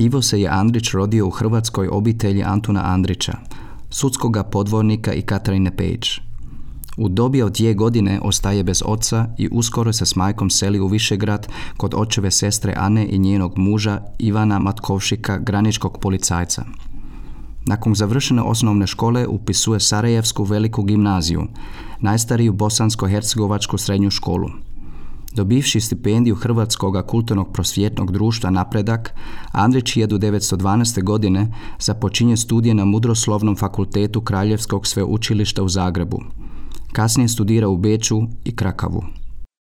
Ivo se je Andrić rodio u hrvatskoj obitelji Antuna Andrića, sudskoga podvornika i Katarine Pejić. U dobi od 2 godine ostaje bez oca i uskoro se s majkom seli u Višegrad kod očeve sestre Ane i njenog muža Ivana Matkovšika, graničkog policajca. Nakon završene osnovne škole upisuje Sarajevsku veliku gimnaziju, najstariju bosansko-hercegovačku srednju školu. Dobivši stipendiju Hrvatskog kulturnog prosvjetnog društva Napredak, Andrić 1912. godine započinje studije na Mudroslovnom fakultetu Kraljevskog sveučilišta u Zagrebu. Kasnije studira u Beču i Krakavu.